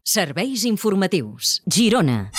Serveis informatius. Girona.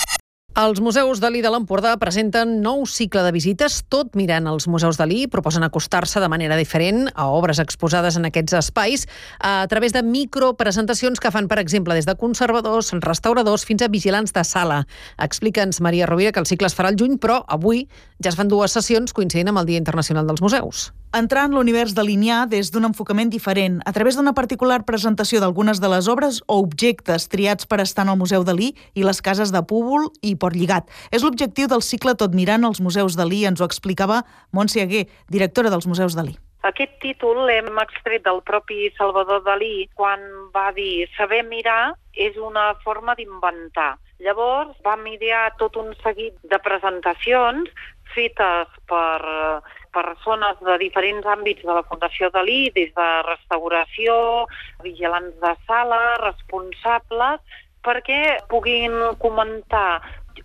Els museus Dalí de l'Empordà presenten nou cicle de visites. Tot mirant els museus Dalí proposen acostar-se de manera diferent a obres exposades en aquests espais a través de micropresentacions que fan, per exemple, des de conservadors, restauradors fins a vigilants de sala. Explica'ns, Maria Rovira, que el cicle es farà al juny, però avui ja es fan dues sessions coincidint amb el Dia Internacional dels Museus. Entrar en l'univers dalinià des d'un enfocament diferent, a través d'una particular presentació d'algunes de les obres o objectes triats per estar en el Museu Dalí i les cases de Púbol i Portlligat. És l'objectiu del cicle Tot mirant els museus Dalí, ens ho explicava Montse Aguer, directora dels Museus Dalí. Aquest títol l'hem extret del propi Salvador Dalí quan va dir saber mirar és una forma d'inventar. Llavors vam idear tot un seguit de presentacions fetes per persones de diferents àmbits de la Fundació Dalí, des de restauració, vigilants de sala, responsables, perquè puguin comentar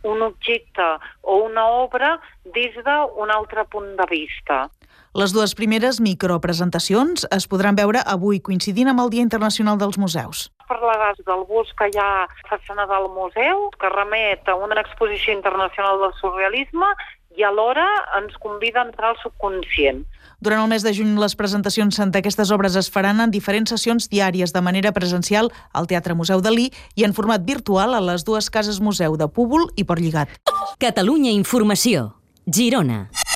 un objecte o una obra des d'un altre punt de vista. Les dues primeres micropresentacions es podran veure avui, coincidint amb el Dia Internacional dels Museus. Parlaràs del bus que hi ha a la façana del museu, que remet a una exposició internacional del surrealisme i alhora ens convida a entrar al subconscient. Durant el mes de juny, les presentacions d'aquestes obres es faran en diferents sessions diàries de manera presencial al Teatre Museu Dalí i en format virtual a les dues cases museu de Púbol i Portlligat. Catalunya Informació. Girona.